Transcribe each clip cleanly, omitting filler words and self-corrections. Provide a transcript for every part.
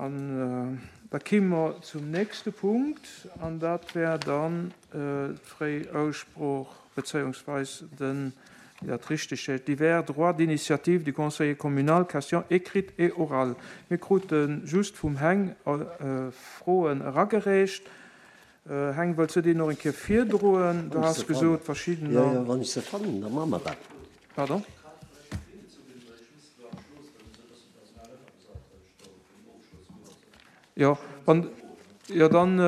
An da kéime mer zum nächste Punkt, an dat wär dann d'fréi Aussprooch bezéiungsweis den, wéi dat richteg heescht, divers droits d'initiative du conseiller communal, questions écrites et orales. Mir krute just vum Heng Froen eragereecht. Heng, wëlls du déi nach eng Kéier virdroen? Du has gesot, verschiddener. Jo, jo, wann ech se fannen, da maache mer dat. Pardon? Jo, wann, jo dann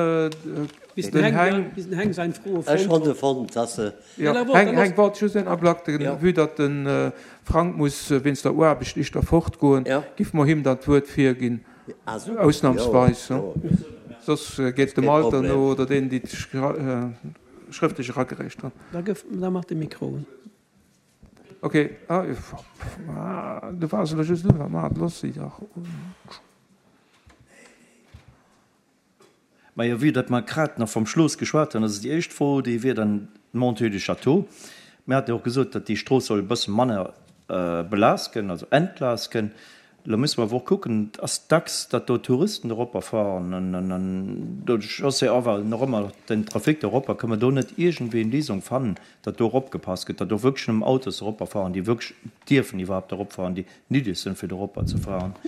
Bis den Heng, bis den Heng sein Froe fonnt Ech hunn se fonnt, dass se. Jo, Heng, Heng, wart just een Ablack, de, vue datt de Frank muss wéinst der Aarbecht ischter fortgoen, giff mer him dann d'Wuert virginn, ausnamsweis, soss geet dem Alter no oder deenen, déi schrëftlech eragereecht hunn. Da gëff, da mach de Mikro un. Ok, ah, du waars elo just un, ma looss si dach un. Majo, vue datt mer grad nach vom Schloos geschwat hunn, also déi éischt Fro, déi wier dann d'Montée du Château. Mir hate jo och gesot, datt déi Strooss soll e bësse manner belaascht gënn, also entlaascht gënn. Elo musse mer awer och kucken, et ass dacks, datt do Touristen eropper fahren an doduerch ass jo awer nach ëmmer den Trafic do eropper. Kënne mer do net iergendwéi eng Léisung fannen, datt do eropgepasst gëtt, datt och wierklech nëmmen Autos eropper fahren, déi wierklech dierfen iwwerhaapt eropfahren, déi nideg sinn, fir do eropper ze fahren?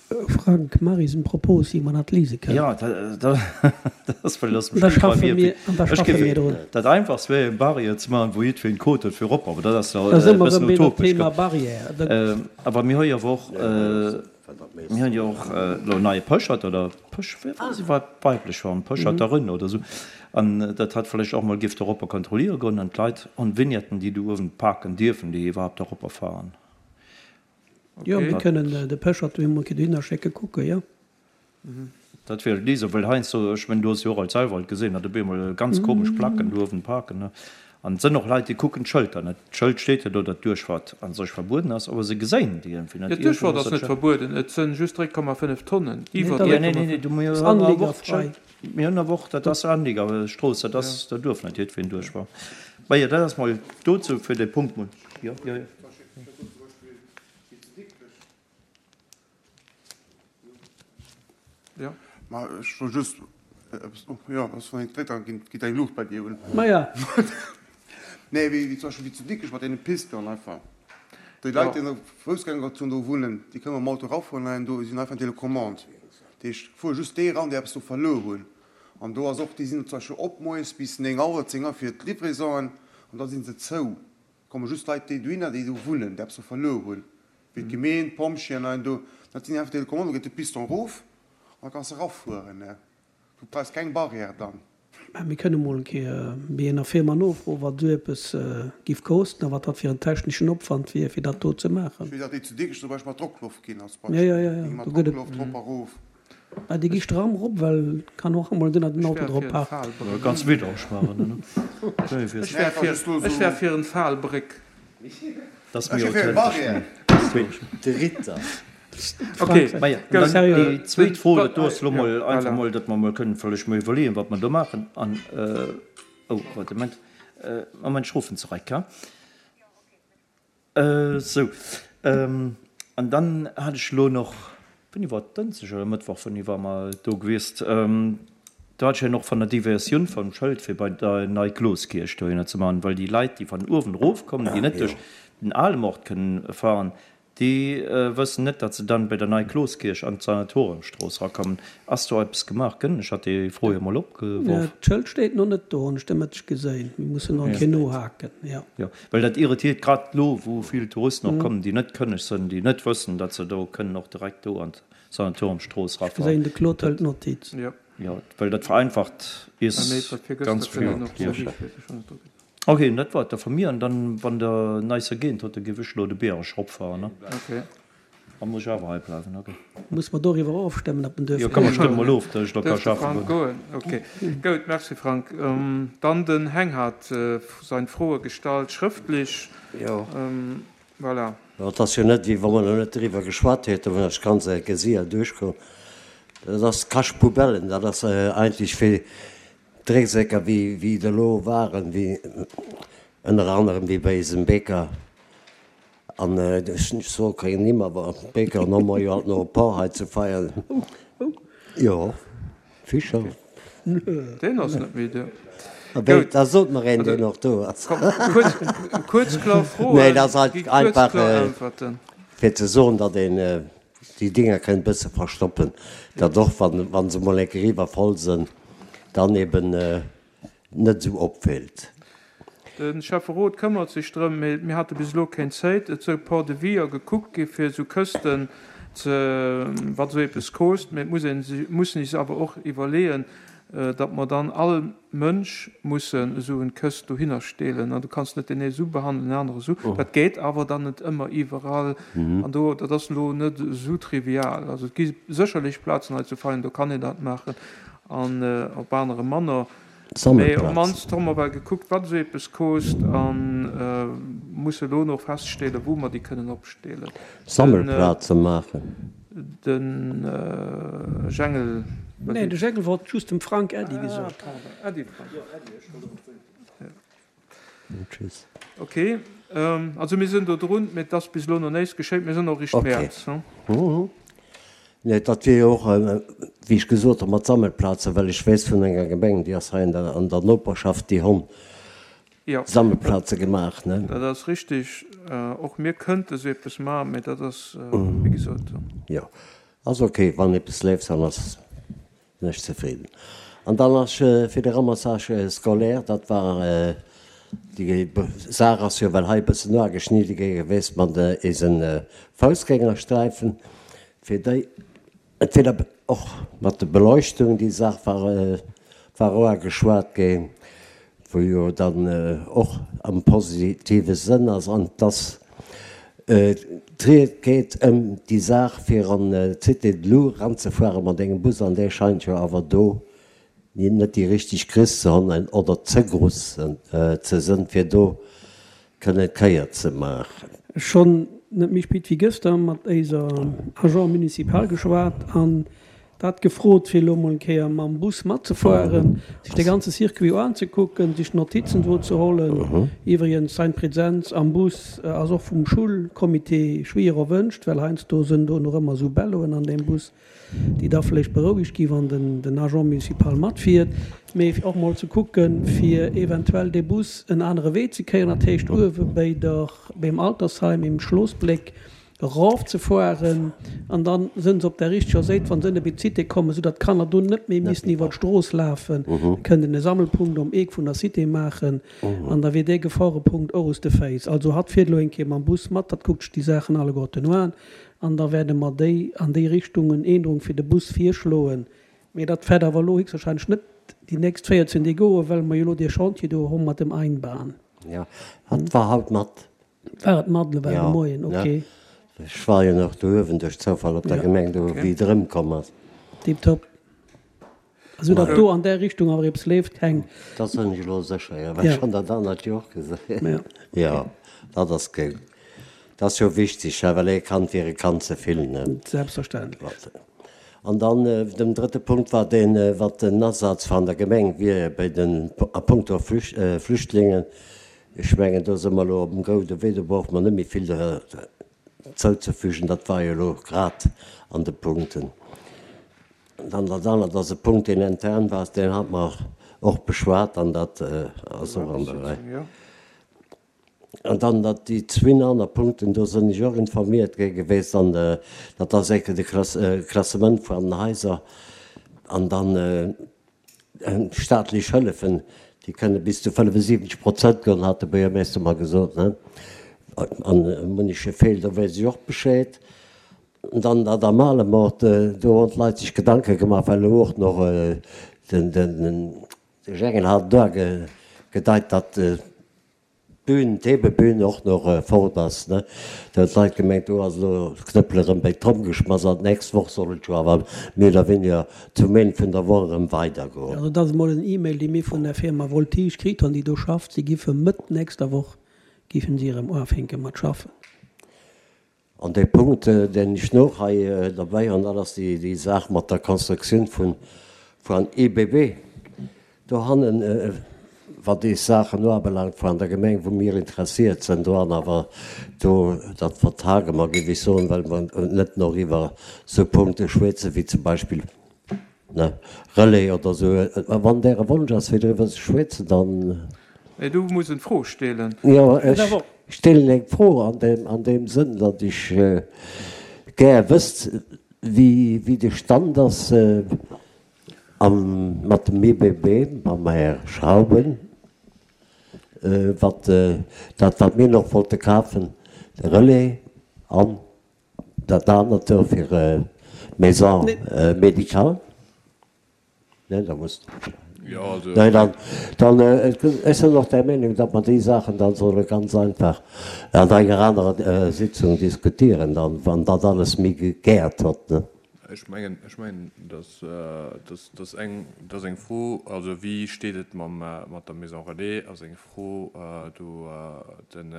Frank, maach is en Propos, wéi mer dat lise kënnen. Jo, dat ass well ass Da schaffe mir, an da schaffe mir drun. Dat einfachst wär eng Barrière ze maachen, wou jiddwereen Code huet fir erop, awer dat ass Da e si mer bëssen erëm bei dem utopesch. Thema Barrière. Awer mir hu jo awer och, mir hunn jo och elo en neie Pëschert oder Pësch, wéi war se weiblech form, Pëscherterin oder esou, an dat hat vläicht och mol géif doropper kontrolliere goen an d'Leit an Vignetten, déi do uewen parken dierfen, déi iwwerhaapt doropper fahren. Jo, mir kënnen de Pechert do emol dohinner schécke kucken, jo. Dat wier et Lisa, well heiansdo, ech mengen, du hues jo och alt selwer alt gesinn, datt op eemol ganz komesch Placken do uewen parken, ne? An et sënn och Leit, déi kucken d'Schëlter net. D'Schëld steet jo do, datt d'Duerchfahrt a sech verbueden ass, awer se geséien déi iergendwéi net. Jo, d'Duerchfahrt ass net verbueden, et sënn just 3,5 Tonnen, iwwer 3,5. Nee, nee, nee, du, mir hunn awer och d'Schëld, mir hunn awer och, dat ass Anliegerstrooss, dat ass, do duerf net jiddwereen duerchfahren. Majo, dat ass mol dozou fir dee Punkt mol, jo, jo, jo. Ja. Ma ech wollt just eppes, oh jo, ass wann een dréckt, da geet eng Luucht bei dir un. Ma ja. Nee, wéi zum Beispill wéi zu Dikrech mat deene Pisten einfach. Déi Leit, déi an der Foussgängerzon do wunnen, déi kënne mam Auto erafueren an do sinn einfach Telecommande. Dat heescht, fuere just déi eran, déi eppes do verluer hunn. An do ass och, déi sinn zum Beispill op moies bis 9 Auer, 10 Auer fir d'Livraison'en an da si se zou. Komme just Leit déi dohinner déi do wunnen, déi eppes do verluer hunn, wéi d'Gemeen, d'Pompjeeën an do, dat sinn einfach Telecommande, do geet de Piston erof an da kanns de erafueren. Du brauchs keng Barrière dann. Mä mir kënne mol eng Kéier bei enger Firma nofroen, wat esou eppes giff kosten a wat dat fir en techneschen Opwand wier, fir dat do ze maachen. Ech weess, datt déi zu Dikrech zum Beispill mat Drockloft ginn als Jo, Beispill. jo, jo, Déi gi mat do gëtt et. Drockloft rop a rof. Mä déi gi stramm rop, well kann och emol sinn, datt en Auto drop parkt. Ganz widdereg maachen. Ech wär fir en Falbréck. Dat ass méi authentesch. De Ritter. Ok, Déi zweet Fro, dat do ass elo mol einfach mol, datt mer mol kënnen vläicht mol iwwerleeën, wat mer do maachen. An, oh, warte Moment, Moment, ech ruffen zereck, ha. Sou, an dann hat ech elo noch, wéini war et, Dënschdeg oder Mëttwoch, wéini war mer do gewiesst, do hat ech jo och van der Diversioun vum Schëld fir bei der Nei Kloskierch dohinner ze man, well déi Leit, déi van uewen erofkommen, déi net duerch den ale Mord kënnen fahren, Déi wëssen net, datt se dann bei der Nei-Kloskierch an d'Sanatoriumstrooss rakommen. Ass do eppes gemaach gënn? Ech hat déi Fro jo mol opgeworf. D'Schëld steet no net do, hunn ech de Mëtteg geséin. Mir mussen nach eng Kéier nohaken, jo. Jo, well dat irritiert grad elo, wou vill Touristen och kommen, déi net kënneg sënn, déi net wëssen, datt se do kënnen och direkt do an d'Sanatoriumstrooss Ech rafahren. geséin, de Claude hëlt Notiz. Jo, well dat vereinfacht is ganz vill. Ok, dat war et da vu mir. An dann, wann der neis ergéint hutt, da géif ech elo de Biereg eropfahren, ne? Ok. Da muss ech awer hei bleiwen, ok. Muss mer doriwwer ofstëmmen, ob en duerf Jo, komm, mer stëmme mol of, datt ech da ka Duerf de schaffen Frank goen. goen? Ok. Goud, merci Frank. Dann den Heng hat sein Froe gestallt, schrëftlech. Jo. Voilà. Jo, et ass jo net, wéi wa mer nach net driwwer geschwat hätten, wann ech ganz enke séier duerchkomm. Dat ass Cache-poubellen, dat ass eigentlech fir Drécksäcker wéi wéi et elo waren, wéi ënner anerem wéi bei eisem Bäcker an ech soe keng Nimm, awer Bäcker an hu mer jo alt nach e paar hei ze feiern. Jo, Fischer. Deen ass net méi do. Wéi, da sot mer een, deen och do ass. Kuerz, kloer Froen, Nee, dat ass gi kuerz, einfach kloer Äntwerten. fir ze soen, datt een déi Dinger kënnt bësse verstoppen, datt och wann se mol eng Kéier iwwervoll sënn, dann eben net esou opfält. De Schäfferot këmmert sech drëm, mee mir hate bis elo kéng Zéit. Et sou Port de Vie a gekuckt gi fir esou Kësten ze, wat esou eppes koost. Mee et muss een, mussen is awer och iwwerleeën, datt mer dann all Mënsch mussen esou en Këst dohinner steelen. An du kanns net deen ee esou behandelen, den anere esou. Dat geet awer dann net ëmmer iwwerall. An do, dat ass elo net esou trivial. Also et gi sécherlech Plazen hei zu Veien, do kann een dat maachen an op anere manner. Mee op d'mannst hu mer well gekuckt, wat esou eppes kost a musse elo nach feststellen, wou mer déi kënnen opstellen. Sammelplaze maachen. De Jengel. Nee, de Jengel wollt just dem Frank Äddi gesot. Ah, pardon. Äddi Frank. Ok, also mir sinn do drun, mee et ass bis elo nach näischt geschéit. Mir sinn och eréischt Mäerz. Nee, dat wier jo och, wéi ech gesot hunn, mat Sammelplazen, well ech weess vun enger Gemeng, déi ass hei an der Noperschaft, déi hunn Sammelplaze gemaach. Dat ass richtig. Och mir kënnte sou eppes maachen, mee dat ass, wéi gesot. Jo, ass ok, wann eppes leeft, dann ass. Sinn ech zefridden. An dann ass fir de Ramassage scolaire, dat war déi Saach ass jo well hei e bëssen noageschnidde gi gewiescht mat eise Foussgängersträifen, fir déi entweder och mat der Beleuchtung, déi Saach war war oageschwat ginn, wou jo dann och am positive Sënn ass, an dass d'Ried geet ëm déi Saach fir an d'Cité de Lou eranzefuere mat engem Bus, an dee scheint jo awer do net déi richteg Griss ze hunn oder ze gruss ze sënn, fir do kënnen d'Kéier ze maachen. Schonn net méi spéit wéi gëster mat éiser Agent municipal geschwat an dat gefrot fir elo mol eng Kéier mam Bus matzefueren, sech de ganze Circuit oanzekucken, sech Notizen do ze hollen. Iwwregens, sein Präsenz am Bus ass och vum Schulcomité schwier erwënscht, well heiansdo sënn do nach ëmmer esou Belloen an deem Bus, déi da vläicht berouegt gi wann den Agent municipal matfiert, mee fir och mol ze kucken, fir eventuell dee Bus en anere Wee ze kréien, dat heescht uewe béi der, beim Altersheim im Schlossbléck erof ze fueren an dann sënn se op der richteger Séit, wann se ënne bei d'Cité kommen, esou datt d'Kanner do net méi missen iwwer d'Strooss lafen. Da kënnt een e Sammelpunkt um Eek vun der Cité maachen an da wier dee Geforepunkt och aus de Féiss. Also hatt fiert elo eng Kéier mam Bus mat, hatt kuckt sech déi Saachen alleguerten un An da wäerde mer déi an déi Richtung en Ännerung fir de Bus virschloen. Mee dat wäert awer elo héchstwahrscheinlech net déi nächst 14 Deeg goen, well mer jo elo dee Chantier do hu mat dem Einbahn. Jo, dat war haut mat. War et mat elo war de Moien? Ok. Ech war jo nach do uewen duerch Zoufall op der Gemeng do, wéi et erëmkomm ass. Tiptop. Esou datt do an där Richtung awer eppes leeft, keng. Dat sinn ech elo sécher, jo, well ech hunn dat anert jo och gesinn. Jo, dat ass gutt. Dat ass jo wichteg, well ee Kand wier e Kand ze vill, ne? Selbstverständlech. An dann den drëtte Punkt war deen, wat den Asaz van der Gemeng wier bei den, a punkto Flüchtlingen. Ech mengen, do si mer elo op dem goude Wee, do brauche mer net méi vill zouzefügen. Dat war jo elo grad an de Punkten. Dann dat anert ass e Punkt, deen intern war, deen hate mer och beschwat an dat ass och an der Rei. An dann dat déi zwinn aner Punkten, do sinn ech och informiert gi gewiescht an dat ass enke de Klassement vun den Haiser an dann staatlech Hëllefen, déi kënne bis zu 75 Prozent goen, hat de Buergermeeschter mer gesot. An munneche Feel, do weess ech och Bescheed. An dann dat am Alemort, do hunn d'Leit sech Gedanke gemaach, well elo och nach den Jengel hat do gedeit, datt d'Bün, d'Hebebün och nach fort ass. Do hunn d'Leit gemengt, do ass elo d'Knëppel erëm bei d'Tromm geschmass an d'nächst Woch soll et jo awer méi oder weniger zum Enn vun der Woch erëm weidergoen. Also dat ass emol en E-Mail, dee mir vun der Firma Voltige kritt hunn, déi do schafft. Si giffe Mëtt nächster Woch giffen si erëm uafänke mat schaffen. An dee Punkt, deen ech nach hei derbäi hunn, dat ass déi Saach mat der Constructioun vun IBB dohannen, wat déi Saachen uabelaangt vun der Gemeng, wou mir interessiert sinn doran. Awer do, dat vertage mer, géif ech soen, well mer net nach iwwer esou Punkte schwätzen, wéi zum Beispill. Ne, Relais oder esou. Wann däre Wonsch ass, fir driwwer ze schwätzen, dann. Nee, du muss en Fro stelen. Jo, ech stellen eng Fro an deem, an deem Sënn, datt ech gär wësst, wéi, wéi de Stand ass am, mat dem IBB, mam Här Schrauben, wat dat, wat mir nach wollte kafen, de Relais an Dat anert do fir Maison médicale? Nee, da muss. Nee, dann, dann, ech sinn och der Meenung, datt mer déi Saachen dann solle ganz einfach an enger anerer Sitzung diskutieren, dann, wann dat alles méi gegäert hott, ne? Ech mengen, ech mengen, dass, dass, dass eng, dass eng Fro, also wéi steet et mam, mat der Maison relais, ass eng Fro do den,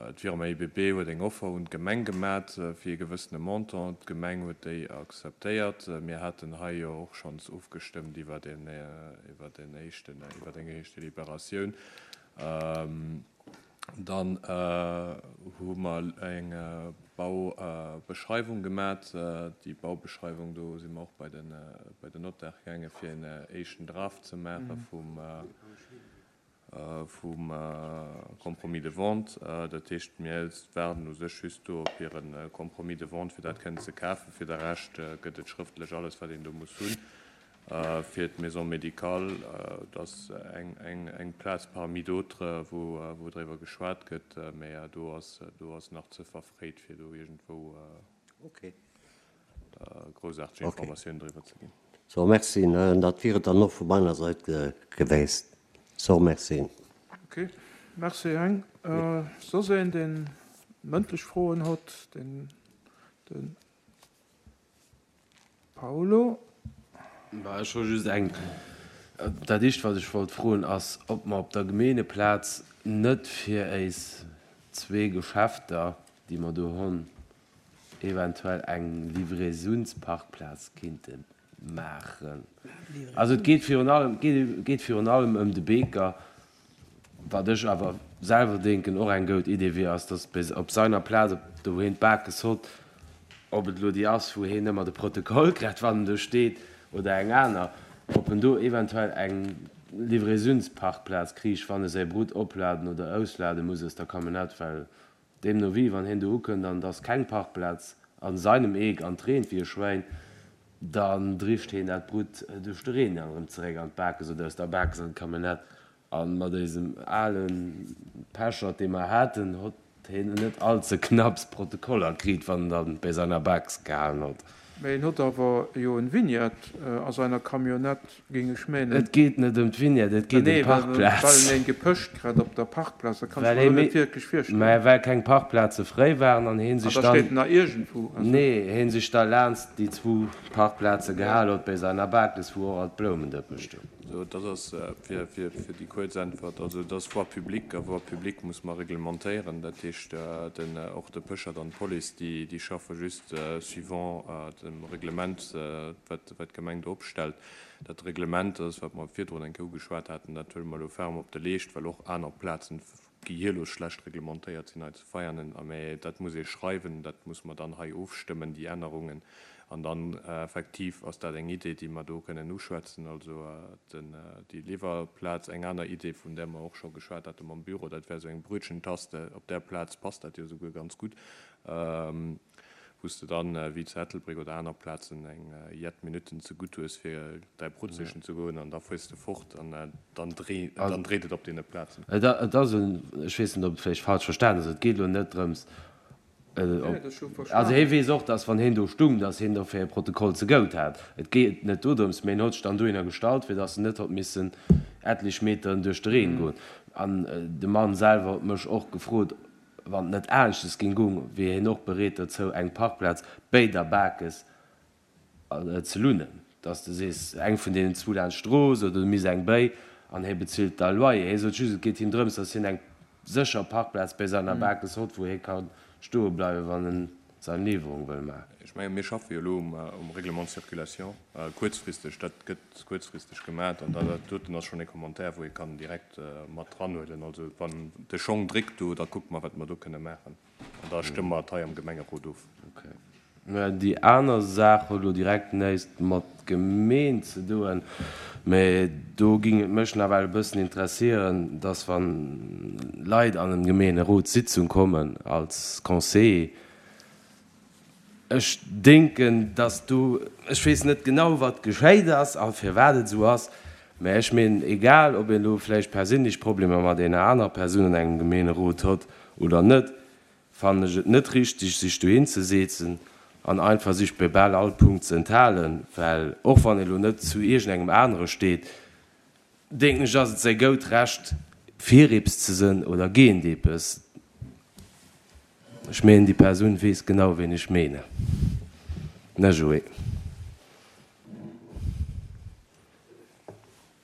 D'Firma IBB huet eng Offer un d'Gemeng gemat fir ee gewëssene Montant. D'Gemeng huet déi akzeptéiert. Mir haten hei jo och schonns ofgestëmmt iwwer en éischten, iwwer eng éischt Deliberatioun. Dann hu mer eng Baubeschreiwung gemat. Déi Baubeschreiwung, do si mer och bei den, bei den Notaire gaange fir en éischten Draft ze maache vum, vum Compromis de vente. Dat heescht, mir waarden u sech just do op hire Compromis de vente, fir dat kënnen ze kafen. Fir de Rescht gëtt et schrëftlech alles, wat een do muss hunn. Fir d'Maison médicale, dat ass eng Plaz parmi d'autres, wou driwwer geschwat gëtt, mä do ass nach ze verfréit, fir do iergendwou Groussaarteg Informatioun driwwer ze ginn. So, merci. Dat wier et dann och vu meiner Sait geweest. So, merci. Ok, merci Heng. Soss een deen mëndlech Froen hott? Den Paolo. Bah, ech hu just eng. Dat éischt wat ech wollt froen ass, ob mer op der Gemeengeplaz net fir éis zwee Geschäfter, déi mer do honn, eventuell eng Livraisounsparkplaz kinnte maachen. Also et geet virun allem, et geet virun allem ëm de Beeker. Wat ech awer selwer denken och eng goud Idee wier, ass, datt bis op seiner Plaz, op do wou heen d'Bakes hott, ob et elo déi ass wou heen ëmmer de Protokoll kritt wann en do steet, oder eng aner, ob en do eventuell eng Livraisounsparkplaz kriich, wann e säi Brut opladen oder auslade muss aus der Camionnette, well Deemno wéi, wann hien do ukënnt an et ass keng Parkplaz a seinem Eek an et reent wéi e Schwäin, dann drischt hien dat Brutt duerch de Reen dann erëm zeréck an d'Bakes oder aus der Bakes an d'Camionnette. A mat éisem ale Pechert, dee mer haten, hott hien net all ze knapps Protokoller kriit, wann en dann béi seiner Bakes gehalen hott. Mä en hott awer jo en Vignette a seiner Camionnette, géing ech menen. Et geet net ëm d'Vignette, et geet ëm d'Parkplaz. Well en een gepëscht krat op der Parkplaz, dat kann ech mer elo net wierklech virstellen. Mä well keng Parkplaze fréi waren an heen sech dann. An da steet en nach iergendwou. Nee, heen sech da laanst déi zwou Parkplaze gehal hott, béi seiner Bakes, wou och alt d'Bloumendëppe stoung. Sou, dat ass fir déi kuerz Äntwert. Also et ass Voie publique, a Voie publique muss mer reglementéieren. Dat heescht, den, och de Pechert an d'Police, déi, déi schaffe just suivant dem Reglement, wat, wat d'Gemeng do opstellt. Dat Reglement, dat ass, wat mer virdrun eng Kéier ugeschwat haten, dat huele mer elo ferme op de Leescht, well och aner Plazen déi hir elo schlecht reglementéiert sinn, hei zu Veianen. A mä dat muss ee schreiwen, dat muss mer dann hei ofstëmmen, déi Ännerungen. An dann effektiv ass dat eng Idee, déi mer do kënnen uschwätzen, also den, déi Liwwerplaz. Eng aner Idee, vun där mer och scho geschwat hate mam Büro, dat wär esou eng Brötchentaste. Op där Plaz passt dat jo esouguer ganz gutt. Wou s de dann, wéi zu Ettelbréck oder aner Plazen, eng jett Minutten ze gutt hues, fir däi Brut sichen ze goen, an da fuers de fort an dann dréit et op deene Plazen. Et ass en, ech weess net, ob et vläicht falsch verstanen ass, et geet elo net drëms, also hie weess och, datt wann hien do stung, datt hien dofir e Protokoll ze gout hat. Et geet net dodrëms, mä hien huet sech dann dohinner gestallt, fir datt en net hott missen etlech Meteren duerch de Reen goen. An de Mann selwer huet mech och gefrot, Wann et net aneschtes ging gung, wier hien och bereet dozou eng Parkplaz béi der Bakes ze lunnen. Dass de sees, eng vun deenen zwou laanscht d'Strooss oder du misst eng béi an hie bezilt da Loyer. Hie sot just, et geet him drëms, dass hien eng sécher Parkplaz béi seiner Bakes hott, wou hie ka stoe bleiwen, wann en sein Liwwerung wëll maachen. Ech mengen, mir schaffe jo elo um Règlement de circulation kuerzfristeg. Dat gëtt kuerzfristeg gemat an dat doten ass schonn e Commentaire, wou ee kann direkt mat dranhuelen. Also wann de Schong dréckt do, da kucke mer, wat mer do kënne maachen an da stëmme mer et hei am Gemengerot of. Okay. Déi aner Saach huet elo direkt näischt mat Gemeen ze doen, mä do ging et mech nawell e bëssen interessieren, dass wann Leit an en Gemeenerotssitzung kommen als Conseiller, ech denken, dass do, ech weess net genau wat geschéit ass a firwat et esou ass, mä ech meen, egal ob een elo vläicht perséinlech Problemer mat ener anerer Persoun an engem Gemeenerot hott oder net, fannen ech et net richteg sech dohin ze seetzen an einfach sech bei bal all Punkt ze enthalen, well och wann ee lo net zu iergendengem anere steet, denken ech ass et säi goud Recht fir eppes ze sënn oder géint eppes. Ech meen déi Persoun weess genau ween ech meene, ne Joé?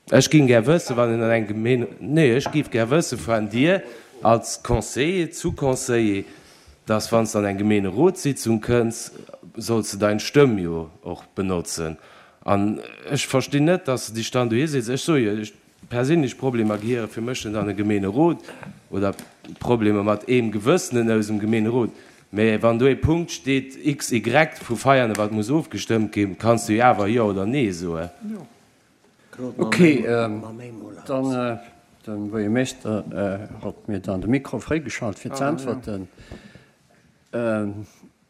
Ech géing gär wëssen, wann een an eng Gemeen, nee, ech géif gär wëssen vun dir als Conseiller zu Conseiller, dass wann s de an eng Gemeenerotssitzung kënns, solls de dein Stëmm jo och benotzen. An ech verstinn net, dass de dech dann dohi setz. Ech soe jo, ech, perséinlech Problemer gehiere fir mech net an e Gemeenerot oder Problemer mat eem gewëssenen aus dem Gemeenerot. Mä wann do ee Punkt steet XY vu Veianen, wat muss ofgestëmmt ginn, kanns du jo awer Jo oder Nee soen. Ok, dann de Buergermeeschter hott mir dann de Mikro fréigeschalt fir ze äntwerten.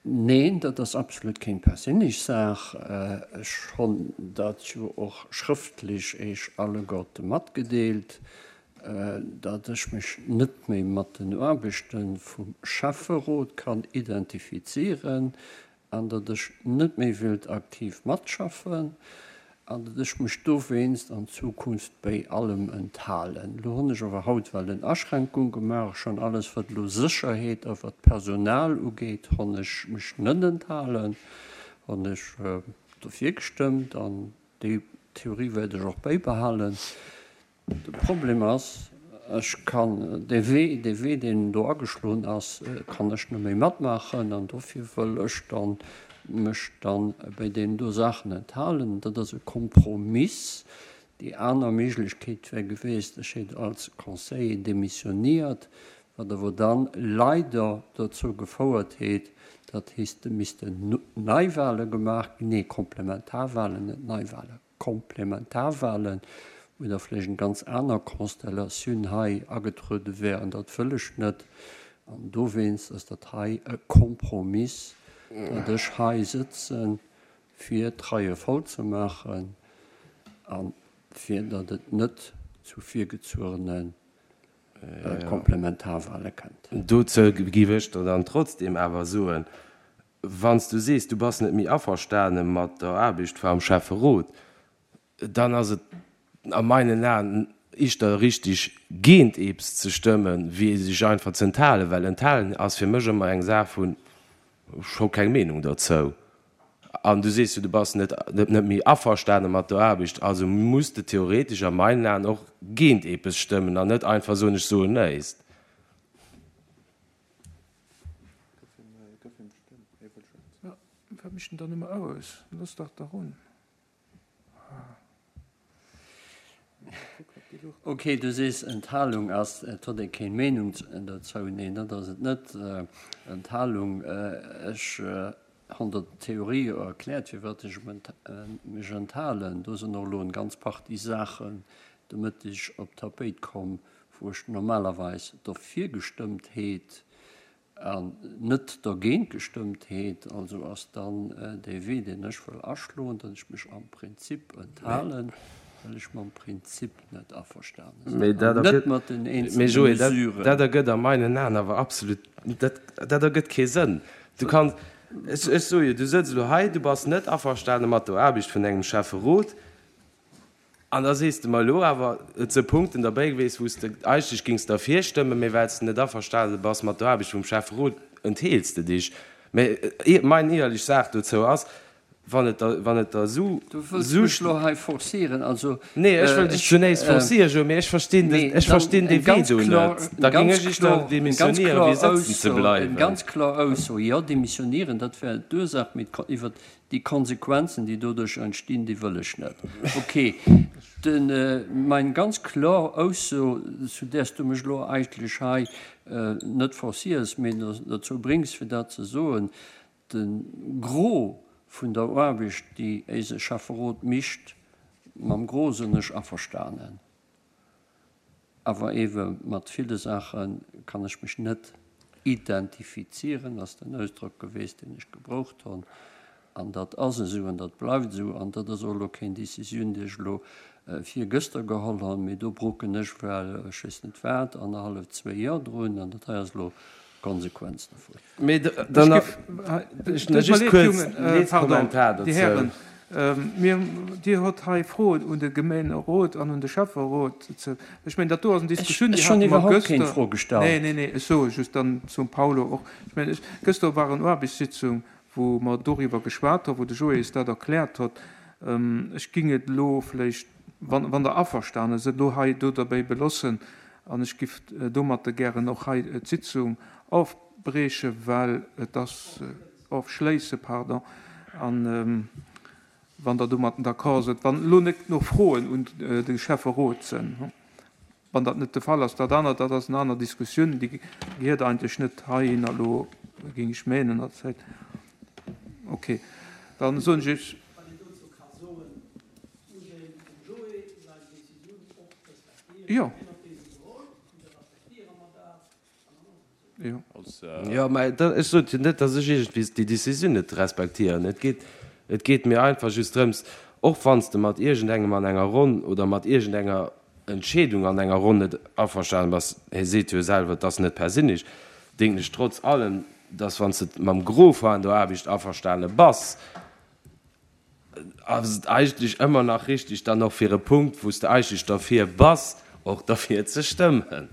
Neen, dat ass absolut kéng perséinlech Saach. Ech honn dat jo och schrëftlech Eech alleguerte matgedeelt, datt ech mech net méi mat den Aarbechte vum Schäfferot kann identifizieren an datt ech net méi wéilt aktiv matschaffen an datt ech mech dowéinst an Zukunft béi allem enthalen. Elo hunn ech awer haut well en Aschränkung gemaach, schonn alles wat elo Sécherheet a wat Personal ugeet, honn ech mech net enthalen, honn ech dofir gestëmmt an déi Theorie wäert ech och béibehalen. De Problem ass, ech kann dee Wee, dee Wee, deen do ageschloen ass, kann ech net méi matmaachen an dofir wëll ech dann mech dann bei deenen do Saachen enthalen. Dat ass e Kompromiss. Déi aner Méiglechkeet wär gewiescht, ech hätt als Conseiller demissioniert, wat awer dann leider dozou gefouert hätt, datt hisste missten Neiwahle gemaach ginn, nee, Komplementarwahlen, net Neiwahlen. Komplementarwahlen, wou da vläicht eng ganz aner Constellatioun hei agetruede wär, an dat wëll ech net. An dowéinst ass dat hei e Kompromiss, datt ech hei sëtzen, fir d'Reie voll ze maachen a fir datt et net zu virgezuerene Komplementarwahle kënnt. Dozou géif ech der dann trotzdem awer soen, Wann s du sees, du bass net méi averstane mat der Aarbecht vam Schäfferot, dann ass et a meinen Aen ischter richtig, géint eeps ze stëmmen, wéi sech einfach ze enthalen, well enthalen ass fir mech ëmmer eng Saach vun, ech hu keng Meenung derzou. An du sees jo, du bass net net méi averstane mat der Aarbecht, also muss de theoretesch a meinen Aen och géint eepes stëmmen an net einfach soen, ech soen nëist. Wat mécht en dann ëmmer aus? Looss dach da run. Ok, du sees Enthalung ass, et huet ee keng Meenung dozou. Neen, dat ass et net. Enthalung, ech hunn der d'Theorie jo erkläert, firwat ech mech enthalen. Do sinn och elo eng ganz Partie Saachen de Mëtteg op d'Tapéit komm, wou ech normalerweis derfir gestëmmt heet an net dergéint gestëmmt heet. Also ass dann dee Wee, deen ech wëll aschloen, datt ech mech am Prinzip enthalen, well ech mam Prinzip net averstane sinn an net mat den eenzelne Mesuren. Dat ergëtt a meinen Aen awer absolut, dat ergëtt kee Sënn. Du kanns, ech soe jo, du sëtz elo hei, du bass net averstane mat der Aarbecht vun engem Schäfferot, An da sees de mer elo awer, et se Punkten derbäi gewiescht, wou s de eigentlech géings derfir stëmmen, mä well s de net averstane bass mat der Aarbecht vum Schäfferot, entheels de dich. Mä mein éierlech Saach dozou ass, wann et der, wann et der esou. Du wëlls mech elo hei forcieren, also. Nee, ech wëll dech zunächst forcieren, Joe, mä ech verstinn de, ech verstinn dee Wee do net. Da géing ech éischter demissionéieren, wéi sëtzen ze bleiwen. Eng ganz kloer Ausso, jo, demissionéieren, dat wär d'Ursaach, mee iwwert Déi Konsequenzen, déi doduerch entstinn, déi wëll ech net. Ok, de, meng ganz kloer Ausso, zu där s du mech elo eigentlech hei net forciers, mee dozou bréngs, fir dat ze soen. De Gros vun der Aarbecht, déi éise Schäfferot micht, mam Gros sinn ech averstanen. Awer ewe mat ville Saache kann ech mech net identifizieren, ass den Ausdrock geweest, deen ech gebroucht honn. An dat ass esou an dat bleift esou. An dat ass och elo keng Décisioun, déi ech elo virgëschter geholl honn, mee do broken ech well ech weess net wat annerhallef, zwéi Joer drun. An dat hei ass elo d'Konsequenz dovun. Mee dann nach just kuerz ee Kommentar dozou. Mir, Dir hutt hei Froen un de Gemeenerot an un de Schäfferot. Ech mengen, dat do ass eng Diskussioun, déi Ech hunn hate mer iwwerhaupt keng gëschter. Fro gestallt. Nee, nee, nee, ech soe just dann zum Paulo och. Ech mengen, ech, gëschter war en Aarbechtssitzung, wou mer doriwwer geschwat hu, wou de Joé eis dat erkläert huet. Ech ging et elo vläicht, wann, wann Der averstane sidd, elo hei do derbäi belossen an ech giff domatter gären och hei d'Sitzung ofbrieche, well et ass, ofschléisse, pardon, an wann Der domatten d'accord sidd, wann elo net nach Froen un de Schäfferot sinn. Wann dat net de Fall ass, dat anert, dat ass eng aner Diskussioun, déi gehiert eigentlech net heihinner elo, géing ech menen. Okay, dann soen ech Iech. Wann een dozou ka soen, muss een dem Joé seng Décisioun och respektieren. Jo. Hien huet déi esou geholl, an da respektiere mer dat, an dann ass et esou. Jo. Jo, mä ech sot jo net, datt ech iergendwéi déi Décisioun net respektieren. Et geet, et geet mir einfach just drëms, och wann s de mat iergendengem an enger Ronn oder mat iergendenger Entscheedung an enger Ronn net averstanen bass, hie seet jo selwer, et ass net perséinlech, denken ech trotz allem, dass wann s de mam Gros van der Aarbecht averstane bass, ass et eigentlech ëmmer nach richtig, dann och fir e Punkt, wou s de eigentlech derfir bass, och derfir ze stëmmen.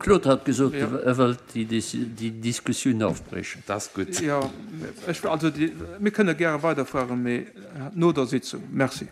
Claude hat gesot, e wëllt déi Diskussioun ofbriechen. Dat ass gutt. Jo, ech, also mir kënne gäre weiderfueren, mee no der Sitzung. Merci.